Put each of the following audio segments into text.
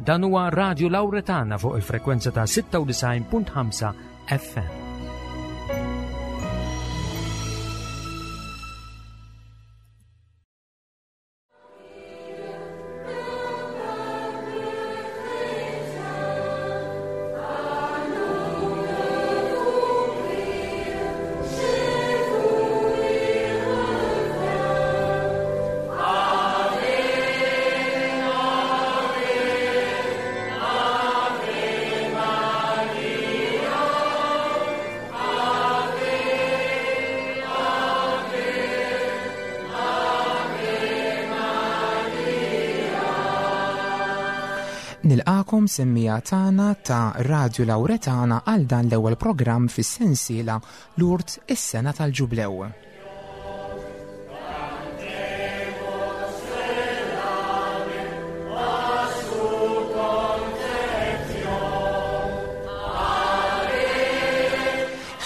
Dan huwa Radio Lauretana fuq il-frekwenza ta' 96.5 FM. Nilqakom semmija tagħna ta' Radio Lauretana għal dan l-ewwel programm fis-sensiela Lourdes is-sena tal-Ġublew.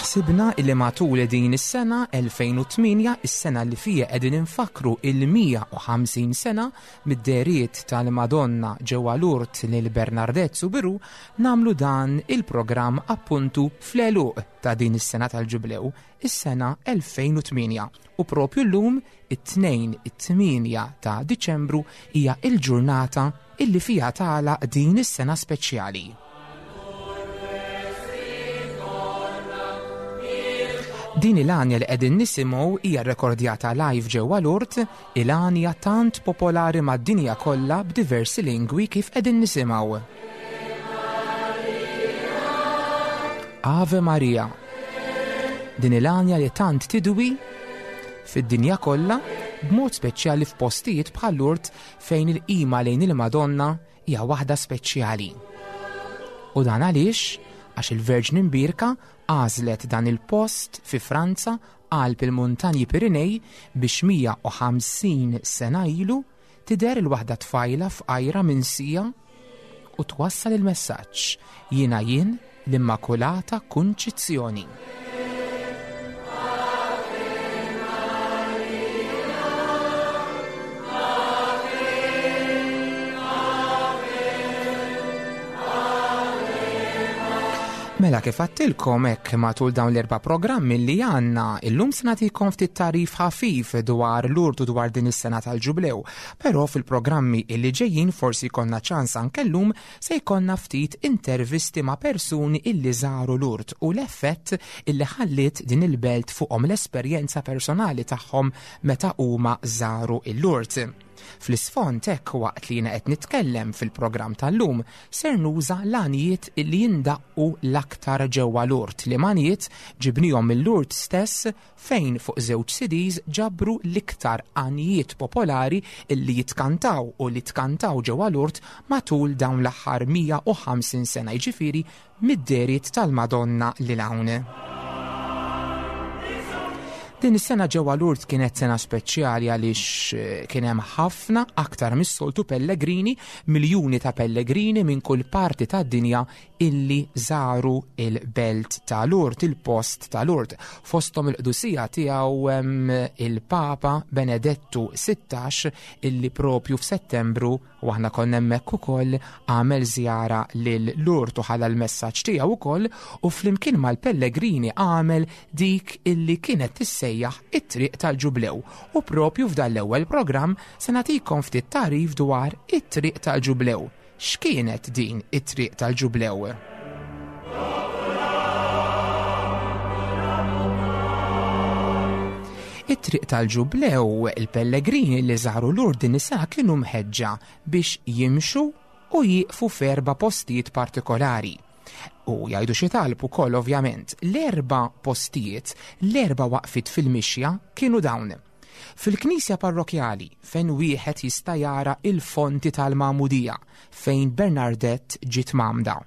Ħsibna illi matul din is-sena 2008, is-sena li fija qegħdin infakkru il-150 sena mid-dehriet tal-Madonna ġewwa Lourdes lil Bernardette Soubirous, nagħmlu dan il-programm appuntu fl-għeluq ta' din is-sena tal-Ġublew, is-sena 2008, u propju llum, it-Tnejn it-8 ta' Diċembru, hija l-ġurnata illi fiha tagħlaq din is-sena speċjali. Din il-għanja li qegħdin nisimgħu hija rrekordjata live ġewwa Lourdes, il-għanja tant popolari mad-dinja kollha b'diversi lingwi kif qegħdin nisimgħu. Ave Maria. Din il-għanja li tant tidwi fid-dinja kollha, b'mod speċjali f'postijiet bħal Lourdes fejn il-qima lejn il-Madonna hija waħda speċjali. U dan għaliex? Għax il-Verġni Mbierka għażlet dan il-post fi Franza qalb il-muntanji Pirinej biex 150 sena ilu tidher il-waħda tfajla fqajra minsija u twassal il-messaġġ Jiena jien l-Immakulata Kunċizzjoni. Mela kif għattilkom hekk matul dawn l-erba' programmi li għandna, illum se nagħtikom ftit tagħrif ħafif dwar Lourdes u dwar din is-sena tal-Ġublew. Però fil-programmi illi ġejjin forsi jkollna ċans anke llum se jkollna ftit intervisti ma' persuni illi żaru Lourdes u l-effett illi ħalliet din il-belt fuqhom l-esperjenza personali tagħhom meta huma żaru il-Lourdes. Fl-isfond hekk waqt li jiena qed nitkellem fil-programm tal-lum ser nuża l-għanjiet illi jindaqqu l-aktar ġewwa Lourdes, liema għanjiet ġibnihom minn Lourdes stess fejn fuq żewġ CDs ġabru l-iktar għanjiet popolari illi jitkantaw u li tkantaw ġewwa Lourdes matul dawn l-aħħar 150 sena, jiġifieri mid-dehriet tal-Madonna lil hawn. Din is-sena ġewwa Lourdes kienet sena speċjali għaliex eh, kien hemm ħafna aktar mis-soltu pellegrini, miljuni ta' pellegrini minn kull parti tad-dinja illi żaru il-belt ta' Lourdes, il-post ta' Lourdes. Fosthom il-qdusija tiegħu il-Papa Benedettu 16 illi propju f'Settembru U aħna konna hemmhekk ukoll għamel żjara lil Lourdes u ħalla l-messaġġ tiegħu ukoll u flimkien mal-pellegrini għamel dik illi kienet tissejjaħ it-triq tal-Ġublew. U propju f'dan l-ewwel programm se nagħtikom ftit tagħrif dwar it-triq tal-Ġublew. X'kienet din it-triq tal-Ġublew? It-triq tal-Ġublew, il-pellegrini li żaru Lourdes din is-sena kienu mħeġġa biex jimxu u jieqfu f'erba' postijiet partikolari. U jgħidu xi talb ukoll ovvjament. L-erba' postijiet, l-erba' waqfiet fil-mixja kienu dawn. Fil-knisja parrokjali fejn wieħed jista' jara il-fonti tal-magħmudija fejn Bernardette ġiet mgħammda.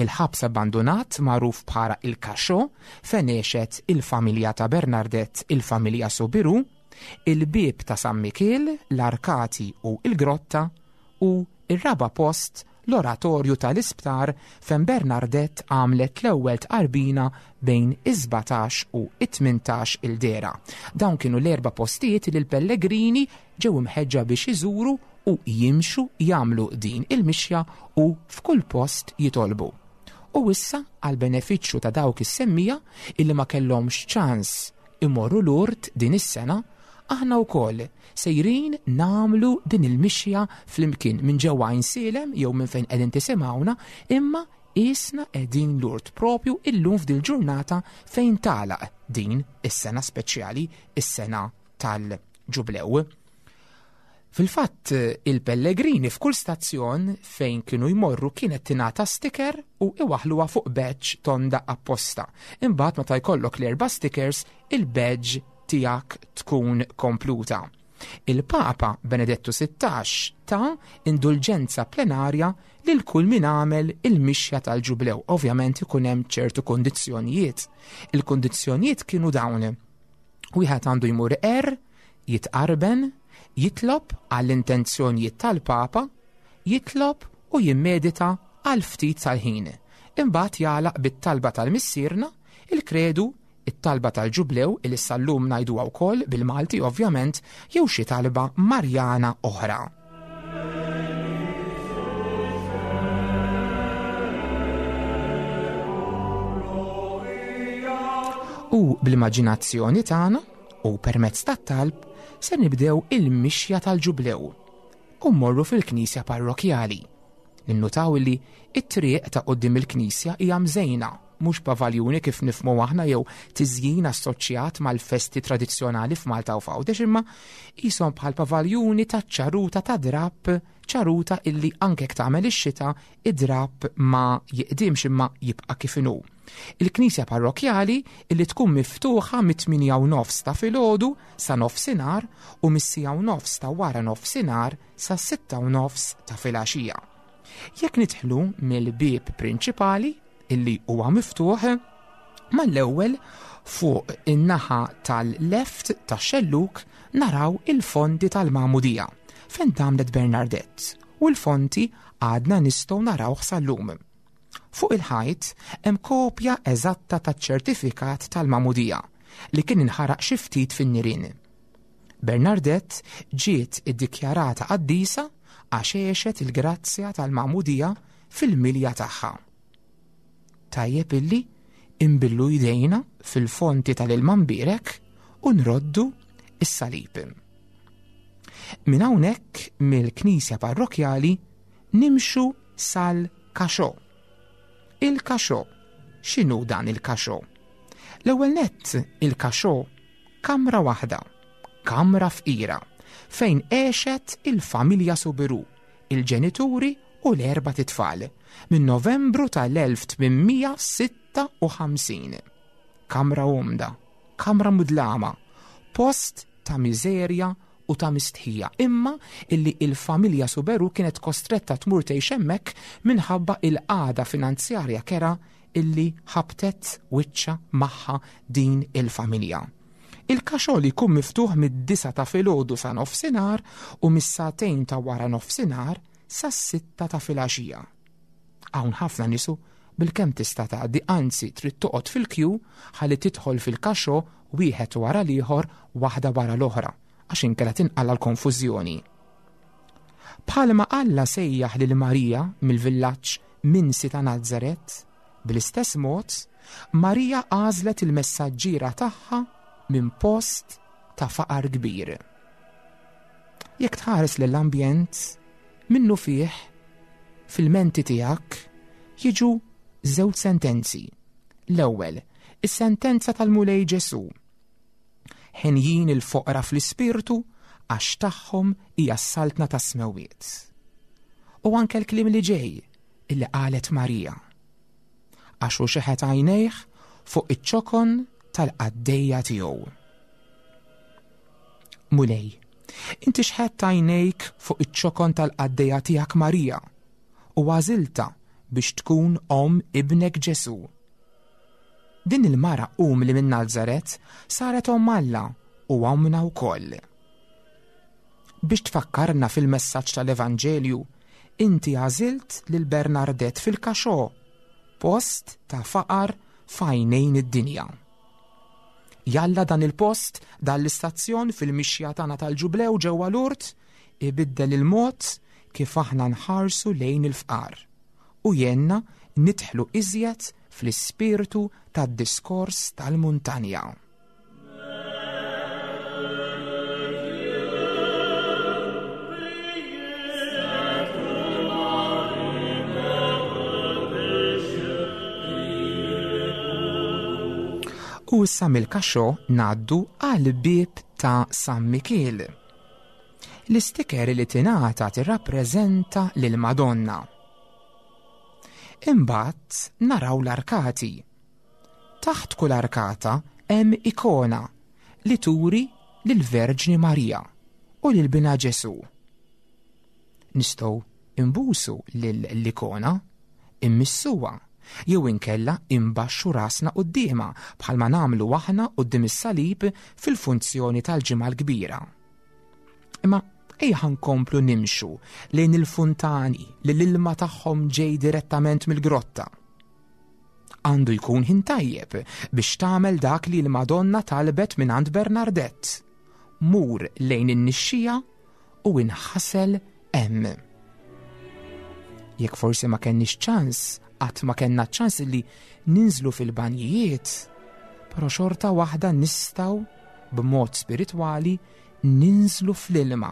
Il-ħabs abbandunat magħruf bħala il-Cachot fejn għexet il-familja ta' Bernardette, il-familja Soubirous, il-bieb ta' San Mikiel, l-arkati u l-grotta, u r-raba' post l-oratorju tal-isptar fejn Bernardette għamlet l-ewwel tqarbina bejn is-17 u t-18 il-dehra. Dawn kienu l-erba' postijiet li l-pellegrini ġew imħeġġa biex iżuru. u jimxu jagħmlu din il-mixja u f'kull post jitolbu. U issa għall-benefiċċju ta' dawk is-semmiegħa illi ma kellhomx ċans imorru Lourdes din is-sena, aħna wkoll sejrin nagħmlu din il-mixja flimkien minn ġewwa Għajnsielem jew minn fejn qegħdin tisimgħuna, imma qisna qegħdin Lourdes propju illum f'dil ġurnata fejn tagħlaq din is-sena speċjali, is-sena tal-Ġublew. Fil-fatt, il-pellegrini f'kull stazzjon fejn kienu jmorru kienet tingħata sticker u iwaħħluha fuq badge tonda apposta. Imbagħad meta jkollok l-erba' stickers, il-badge tiegħek tkun kompluta. Il-Papa Benedettu 16 ta indulġenza plenarja lil kull min għamel il-mixja tal-ġublew. Ovvjament ikun hemm ċertu kondizzjonijiet. Il-kondizzjonijiet kienu dawn. Wieħed għandu jmur er, jitqarben, jitlob għall-intenzjonijiet tal-Papa, jitlob u jimmedita għal ftit tal-ħin. Imbagħad jagħlaq bit-talba tal-Missierna, il-Kredu, it-talba tal-Ġublew li sal-lum ngħiduha wkoll bil-Malti ovvjament, jew xi talba Marjana oħra. U bl-immaġinazzjoni tagħna u permezz tat-talb se nibdew il-mixja tal-Ġublew u mmorru fil-knisja parrokjali. Ninnutaw li t-triq ta' quddiem il-knisja hija mżejna, mhux pavaljuni kif nifhmu aħna jew tiżjin assoċjat mal-festi tradizzjonali f'Malta u f'Għawdex imma qishom bħal pavaljuni ta' ċaruta ta' drapp, ċaruta illi anke jekk tagħmel ix-xita id-drapp ma jiqdimx imma jibqa' kif inhu. Il-knisja parrokjali illi tkun miftuħa mit-tmienja u nofs ta' filgħodu sa nofsinhar u mis-siegħa u nofs ta' wara nofsinhar sas-sitta u nofs ta' filgħaxija. Jekk nidħlu mill-bieb prinċipali illi huwa miftuħ, mal-ewwel fuq in-naħa tal-left tax-xellug naraw il-fonti tal-magħmudija fejn tgħammdet Bernardette u l-fonti għadna nistgħu narawh sal-lum. Fuq il-ħajt hemm kopja eżatta taċ-ċertifikat tal-magħmudija li kien inħaraq xi ftit fin-nirien. Bernardette ġiet iddikjarata qaddisa għax għexet il-grazzja tal-magħmudija fil-milja tagħha. Tajjeb illi inbillu jdejna fil-fonti tal-ilma mbierek u nroddu is-salib. Minn hawnhekk mill-knisja parrokjali nimxu sal-kaxo. Il-kaxo. X'inhu dan il-kaxo? L-ewwel nett il-kaxo kamra waħda, kamra fqira, fejn għexet il-familja Soubirous, il-ġenituri u l-erbat itfal, minn Novembru tal-1856. Kamra umda, kamra mudlama, post ta' miżerja u ta' mistħija, imma illi il-familja Soubirous kienet kostretta tmur tgħix hemmhekk minħabba il-qagħda finanzjarja kerha illi ħabtet wiċċha magħha din il-familja. Il-kaxol jkun miftuħ mid-disgħa ta' filgħodu sa nofsinhar u mis-sagħtejn ta' wara nofsinhar sas-sitta ta' filgħaxija. Hawn ħafna nisu bilkemm tista' tgħaddi, anzi trid toqgħod fil-kju ħalli tidħol fil-kaxo wieħed wara l-ieħor waħda wara l-oħra għax inkella tinqala' l-konfużjoni. Bħalma Alla sejjaħ lil Marija mill-villaġġ minsi ta' Nazaret, bl-istess mod, Marija għażlet il-messaġġiera tagħha minn post ta' faqar kbir. Jekk tħares lill-ambjent, minnufih, fil-menti tiegħek jiġu żewġ sentenzi. L-ewwel, is-sentenza tal-Mulej Ġesù. Henjin il-foqra fl-ispirtu għax tagħhom hija s-saltna tas-smewwiet. U anke l-kliem li ġej illi qalet Marija. Għax hu xeħet għajnejh fuq iċ-ċokon tal-qaddejja tiegħu. Mulej, inti xħett għajnejk fuq iċ-ċokon tal-qaddejja tiegħek Marija u għażiltha biex tkun omm ibnek Ġesù. Din il-mara umli minn Nazaret saret omm Alla u ommna wkoll. Biex tfakkarna fil-messaġġ tal-Evanġelju, inti għażilt lil Bernardette fil-kaxo, post ta' faqar f'għajnejn id-dinja. Jalla dan il-post, dan l-istazzjon fil-mixja tagħna tal-Ġublew ġewwa Lourdes, Ibiddel il-mod kif aħna nħarsu lejn il-fqar u jgħinna nidħlu iżjed fl-ispirtu tad-diskors tal-muntanja. U issa mill-kaxo ngħaddu għal bieb ta' San Mikiel. L-istiker li tingħata tirrappreżenta lil Madonna. Imbagħad naraw l-arkati. Taħt kull arkata hemm ikona li turi lill-Verġni Marija u lil Binha Ġesù. Nistgħu nbusu lill-ikona, immissuha, jew inkella imbaxxu rasna quddiemha bħalma nagħmlu aħna quddiem is-salib fil-funzjoni tal-Ġimgħa l-Kbira. Imma ejja nkomplu nimxu lejn il-funtani li l-ilma tagħhom ġej direttament mill-grotta. Għandu jkun ħin tajjeb biex tagħmel dak li l-Madonna talbet mingħand Bernardette. Mur lejn in-nixxija u inħasel hemm. Jekk forsi ma kenniex ċans, qatt ma kellna ċans li ninżlu fil-banjijiet, però xorta waħda nistgħu b'mod spiritwali ninżlu fl-ilma,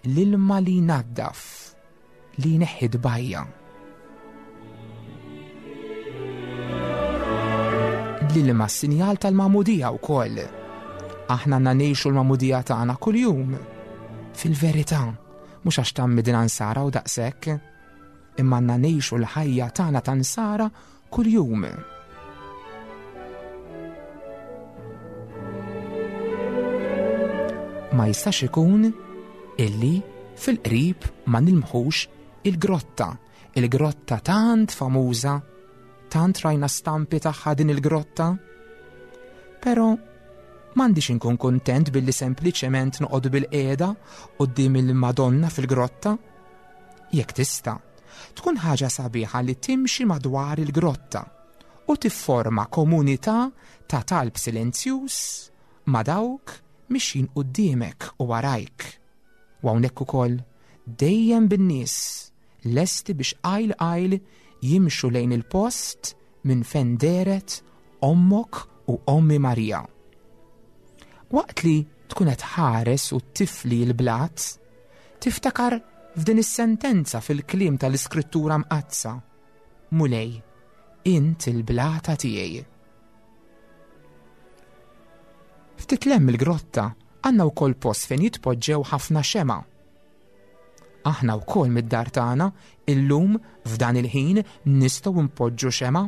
l-ilma li jnaddaf, li jneħħi tbajja. L-ilma sinjal tal-magħmudija wkoll. Aħna għandna ngħixu l-magħmudija tagħna kuljum. Fil-verità, mhux għax tgħammidna nsara u daqshekk, imma għandna ngħixu l-ħajja tagħna ta' nsara kuljum. Ma jistax ikun illi fil-qrib ma nilmħux il-grotta, il-grotta tant famuża, tant rajna stampi tagħha din il-grotta. Però m'għandix inkun kuntent billi sempliċement noqogħdu bil-qiegħda quddiem il-Madonna fil-grotta. Jekk tista', tkun ħaġa sabiħa li timxi madwar il-grotta u tifforma komunità ta' talb silenzjuż ma' dawk mixjin quddiemek u warajk. U hawnhekk ukoll dejjem bin-nies lesti biex qajl qajl jimxu lejn il-post minn fejn dehret ommok u ommi Marija. Waqt li tkun qed tħares u tifli l-blat, Tiftakar f'din is-sentenza fil-kliem tal-Iskrittura Mqaddsa, Mulej, int il-blata tiegħi. Ftit 'l hemm mill-grotta għandna wkoll post fejn jitpoġġew ħafna xema'. Aħna wkoll mid-dar tagħna illum f'dan il-ħin nistgħu npoġġu xema'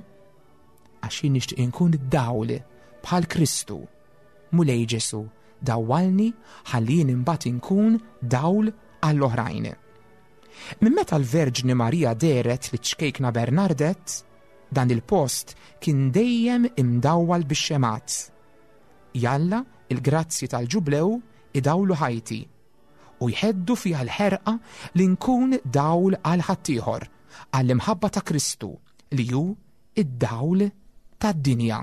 għax jien nixtieq inkun id-dawl bħal Kristu. Mulej Ġesù, dawwalni ħalli jien imbagħad inkun dawl għall-oħrajn. Minn meta l-Verġni Marija dehret liċ-ċkejkna Bernardette, dan il-post kien dejjem imdawwal bix-xemgħat. Jalla l-grazzji tal-Ġublew idawlu ħajti u jheddu fiha l-ħerqa li nkun dawl għal ħaddieħor, għall-imħabba ta' Kristu li hu id-dawl tad-dinja.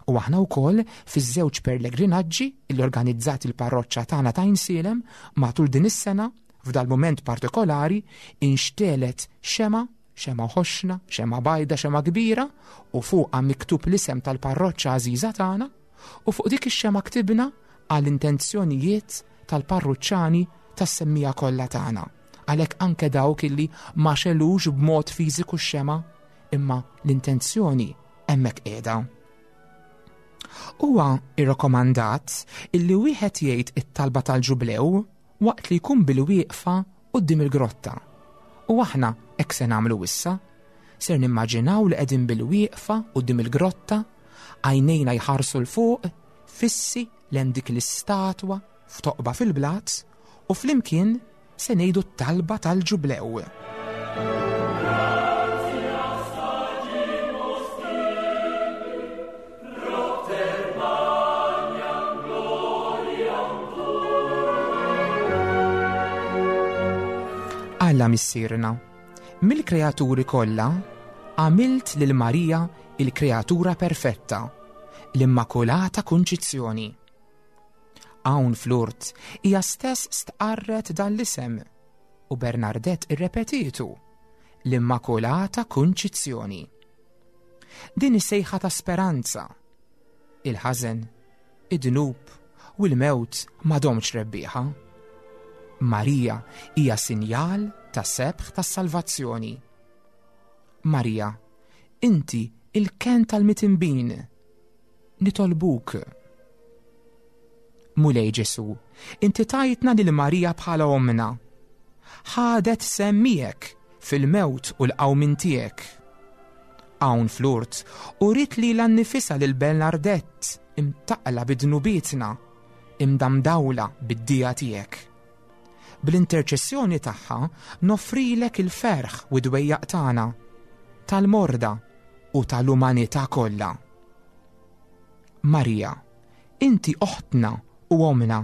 U aħna wkoll fiż-żewġ perlegrinaġġi li organizzat il-parroċċa tagħna ta' Għajnsielem matul din is-sena, f'dal-mument partikolari inxtegħlet xemgħa, xemgħa ħoxna, xemgħa bajda, xemgħa kbira, u fuqha miktub l-isem tal-parroċċa għażiża tagħna, u fuq dik ix-xemgħa ktibna għall-intenzjonijiet tal-parruċċani tas-semmija kollha tagħna. Għalhekk anke dawk illi ma xelux b'mod fiżiku x-xemgħa, imma l-intenzjoni hemmhekk qiegħda. Huwa irrakkomandat illi wieħed jgħid it-talba tal-ġublew waqt li jkun bil-wieqfa quddiem il-grotta. U aħna hekk se nagħmlu issa. Ser nimmaġinaw li qegħdin bil-wieqfa quddiem il-grotta, għajnejna jħarsu 'l fuq, fissi lejn dik l-istatwa f'toqba fil-blat u flimkien se ngħidu t-talba tal-ġublew. Alla Missierna, mill-kreaturi kollha għamilt lil Marija il-kreatura perfetta, l-Immakulata Kunċizzjoni. Hawn fl-Urt hija stess stqarret dan l-isem u Bernardette irrepetietu, l-Immakulata Kunċizzjoni. Din is-sejħa ta' speranza. Il-ħażen, id-dnub u l-mewt m'għadhomx rebbieħa. Marija hija sinjal ta' sebħ tas-salvazzjoni. Marija, inti il-ken tal-mitinbin, Nitolbuk. Mulej Ġesu, inti tajtna lil Marija bħala ommna. Ħadet sehem miegħek fil-mewt u l-qawmien tiegħek. Hawn fl-urt, uriet lilha nnifisha lil Bernardette imtaqqla bi dnubietna, imdamdawla bid-dija tiegħek. Bl-interċessjoni tagħha noffrilek il-ferħ u d-dwejjaq tagħna, tal-morda u tal-umanità kollha. Marija, inti oħtna u ommna.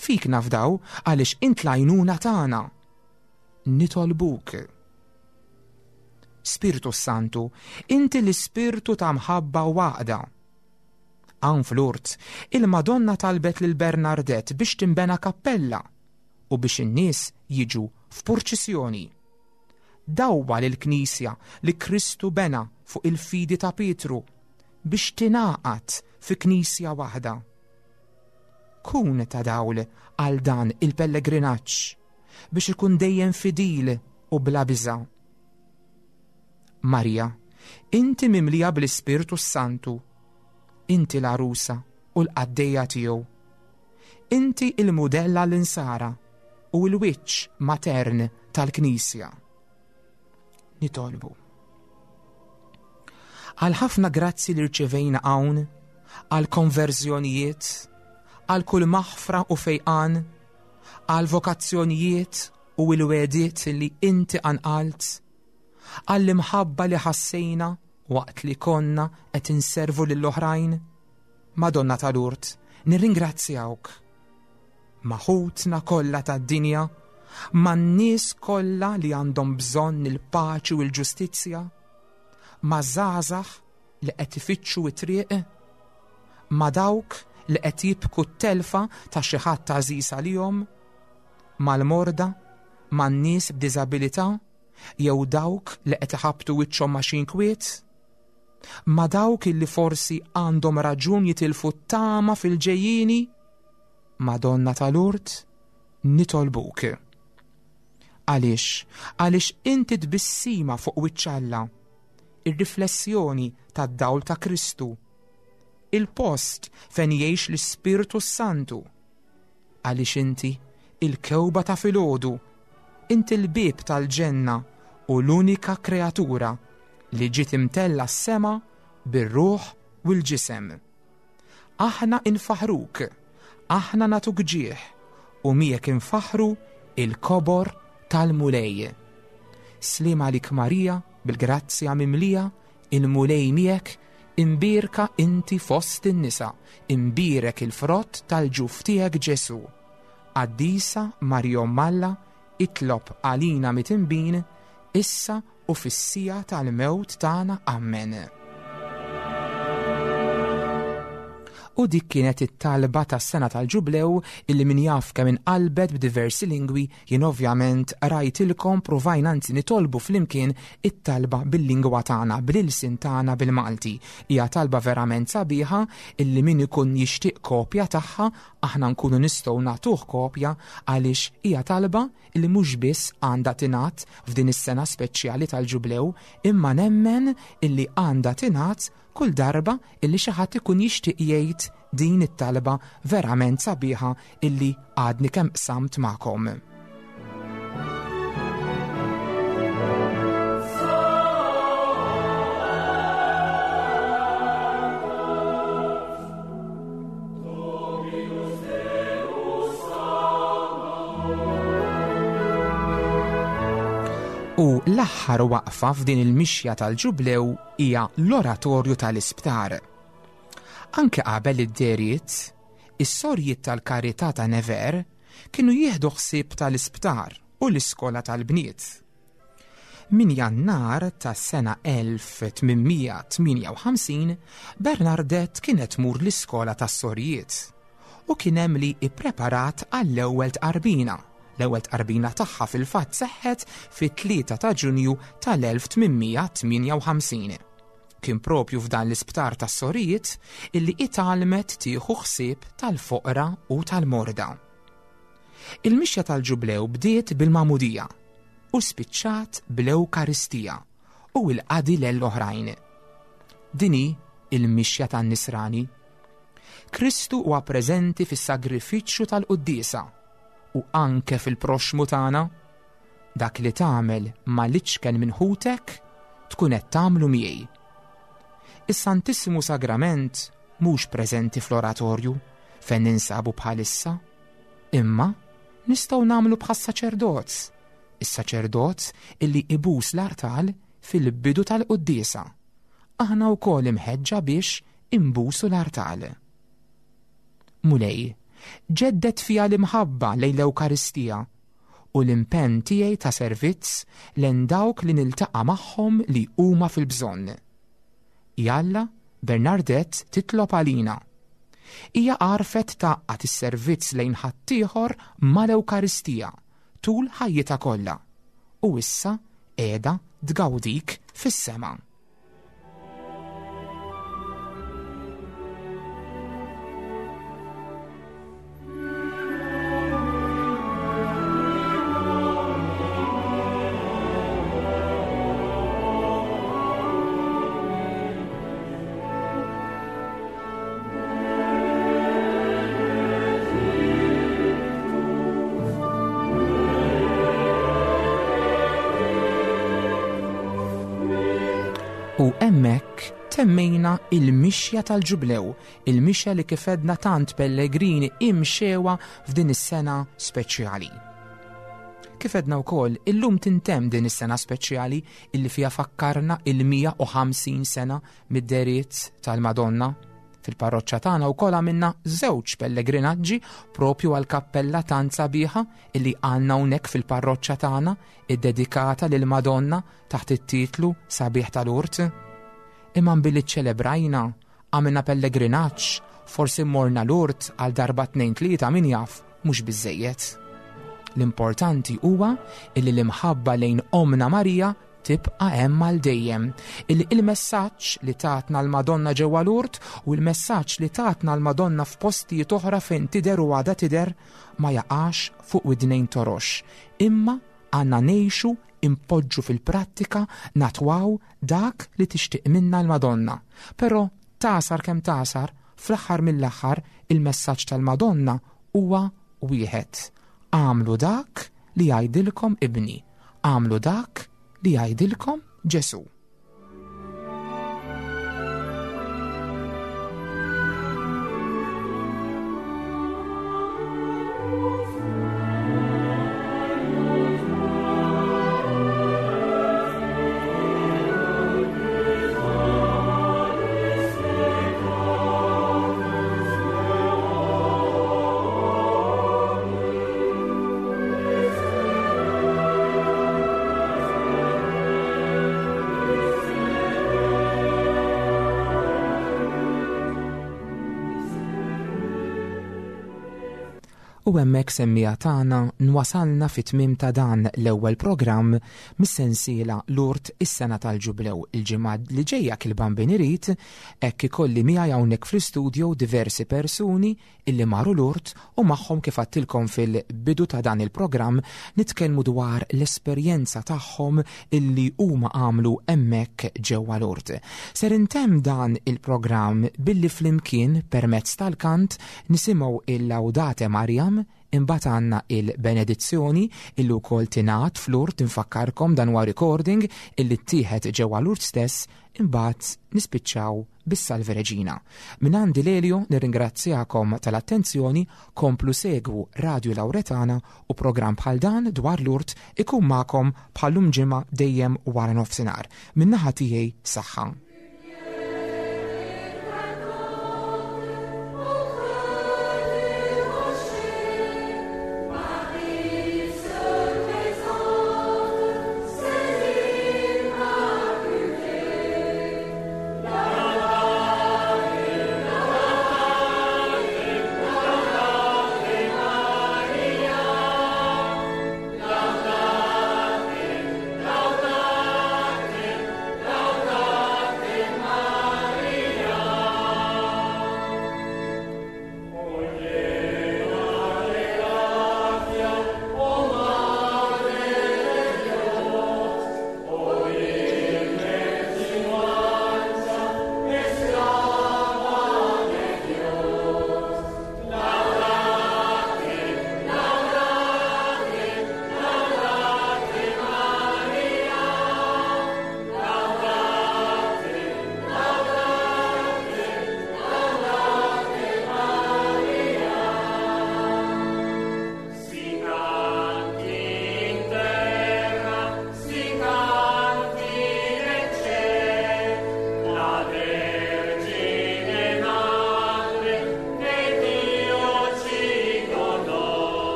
Fik nafdaw għaliex int l-għajnuna tagħna. Nitolbuk. Spirtu Santu, inti l-ispirtu ta' mħabba u għaqda. Hawn fl-Urt, il-Madonna talbet lil Bernardette biex tinbena kappella u biex in-nies jiġu f'purċissjoni. Dawwa lill-Knisja li Kristu bena fuq il-fidi ta' Pietru biex tingħaqad fi Knisja waħda. Kun ta' dawl għal dan il-pellegrinaġġ biex ikun dejjem fidil u bla biża'. Marija, inti mimlija bl-Ispirtu s-Santu, inti l-għarusa u l-qaddejja tiegħu. Inti il-mudell għall-insara u l-wiċċ matern tal-Knisja. Nitolbu. Għal ħafna grazzi li rċevejna hawn, għal konverżjonijiet, għal kull maħfra u fejqan, għal vokazzjonijiet u l-wegħdiet li inti qanqalt, għall-imħabba li ħassejna waqt li konna qed inservu lill-oħrajn, Madonna ta' Lourdes, nirringrazzjawk. Ma' ħutna kollha tad-dinja, man-nies kollha li għandhom bżonn il-paċi u l-ġustizzja, ma' żgħażagħ li qed ifittxu t-triq, ma' dawk li qed jibku t-telfa ta' xi ħadd għażiż għalihom, mal-morda, man-nies b'diżabilità jew dawk li qed iħabbtu wiċċhom ma' xi inkwiet, ma' dawk illi forsi għandhom raġun jitilfu t-tama fil-ġejjieni, Madonna ta' Lourdes, nitolbuk. Għaliex? Għaliex inti tbissima fuq wiċċ Alla, ir-riflessjoni tad-dawl ta' Kristu, il-post fejn jgħix l-Ispirtu s-Santu. Għaliex inti il-kewba ta' filgħodu, inti l-bieb tal-ġenna u l-unika kreatura li ġiet imtella s-sema bir-ruħ u l-ġisem. Aħna infaħruk, aħna nagħtuk ġieħ u miegħek infaħħru il-kobor tal-Mulej. Sliem għalik Marija, bil-grazzja mimlija, il-Mulej miegħek, imbierka inti fost in-nisa, imbierek il-frott tal-ġuf tiegħek Ġesù. Qaddisa Marija Omm Alla, itlob għalina mitinbin, issa u fis-siegħa tal-mewt tagħna. Ammen. U dik kienet it-talba tas-sena tal-ġublew illi min jaf kemm inqalbet b'diversi lingwi jien ovvjament rajtilkom provajna anzi nitolbu flimkien it-talba bil-lingwa tagħna, bl-ilsien tagħna bil-Malti. Hija talba verament sabiħa illi min ikun jixtieq kopja tagħha aħna nkunu nistgħu nagħtuh kopja għaliex hija talba li mhux biss għandha tingħad f'din is-sena speċjali tal-Ġublew, imma nemmen illi għandha tingħad kull darba illi xi ħadd ikun jixtieq jgħid din it-talba verament sabiħa illi għadni kemm qsamt magħkom. U l-aħħar waqfa f'din il-mixja tal-ġublew hija l-oratorju tal-isptar. Anke qabel id-deriet, is-sorjiet tal-karità ta' Nevers kienu jieħdu ħsieb tal-isptar u l-iskola tal-bniet. Minn Jannar tas-sena 1858, Bernardette kienet tmur l-iskola tas-sorijiet. u kien hemm li ippreparat għall-ewwel tqarbina. L-ewwel tqarbina tagħha fil-fatt seħħet fit-3 ta' Ġunju tal-1858. Kien propju f'dan l-isptar tas-sorijiet illi itgħallmet tieħu ħsieb tal-foqra u tal-morda. Il-mixja tal-Ġublew bdiet bil-magħmudija u spiċċat bl-Ewkaristija u l-qadi lel oħrajn. Din hi l-mixja tan-Nisrani. Kristu huwa preżenti fis-sagrifiċċju tal-quddiesa u anke fil-proxxmu tagħna. Dak li tagħmel mal-iċken minn ħutek tkun qed tagħmlu miegħi. Is-Santissimu Sagrament mhux preżenti fl-oratorju fejn ninsabu bħalissa, imma nistgħu nagħmlu bħas-saċerdot, is-saċerdot illi ibus l-artal fil-bidu tal-quddiesa. Aħna wkoll imħeġġa biex imbusu l-artal. Mulej, ġedded fija l-imħabba lejn l-Ewkaristija u l-impenn tiegħi ta' servizz lejn dawk li niltaqa' magħhom li huma fil-bżonn. Jalla, Bernardette titlob għalina. Hija għarfet tgħaqqad is-servizz lejn ħaddieħor mal-Ewkaristija tul ħajjitha kollha u issa qiegħda tgawdik fis-sema. U hemmhekk temmejna il-mixja tal-ġublew, il-mixja li kif għedna tant pellegrini imxewa f'din is-sena speċjali. Kif għedna wkoll, illum tintemm din is-sena speċjali illi fiha fakkarna il-150 sena mid-deriet tal-Madonna. Fil-parroċċa tagħna wkoll għamilna żewġ pellegrinaġġi propju għal kappella tant sabiħa illi għandna hawnhekk fil-parroċċa tagħna iddedikata lil Madonna taħt it-titlu Sabiħ tal-Urt. Imma billi ċċelebrajna, għamilna pellegrinaġġ, forsi morna l-urt għal darba tnejn tlieta min jaf, mhux biżejjed. L-importanti huwa illi l-imħabba lejn Omna Marija tibqa' hemm għal dejjem. Illi il-messaġġ li tatna l-Madonna ġewwa l-urt u l-messaġġ li tatna l-Madonna f'postijiet oħra fejn tidher u għadha tidher ma jaqax fuq widnejn torox, imma għandna ngħixu impoġġu fil-prattika natwaw dak li tixtieq minna l-Madonna. Però tagħsar kemm tagħsar, fl-aħħar mill-aħħar il-messaġġ tal-Madonna huwa wieħed. Agħmlu dak li jgħidilkom ibni, agħmlu dak li jgħidilkom Ġesù. U hemmhekk semmija tagħna nwasalna fit-tmiem ta' dan l-ewwel programm mis-sensiela Lourdes is-sena tal-Ġublew. Il-ġimgħa li ġejja kil-Bambin irid, hekk ikolli miegħi hawnhekk fl-istudio diversi persuni illi maru Lourdes u magħhom kif għadtilkom fil-bidu ta' dan il-programm nitkellmu dwar l-esperjenza tagħhom illi huma għamlu hemmhekk ġewwa Lourdes. Ser intemm dan il-programm billi flimkien permezz tal-kant nisimgħu il-Laudate Mariam imbagħad għandna il-benedizzjoni illi wkoll tingħad f'Lourdes infakkarkom dan huwa recording illi ttieħed ġewwa Lourdes stess imbagħad nispiċċaw bis-Salve Regina. Minn għandi Lelio nirringrazzjakom tal-attenzjoni, komplu segwu Radio Lauretana u programm bħal dan dwar Lourdes ikun magħkom bħal-lum ġimgħa dejjem wara nofsinhar. Min-naħa tiegħi saħħa.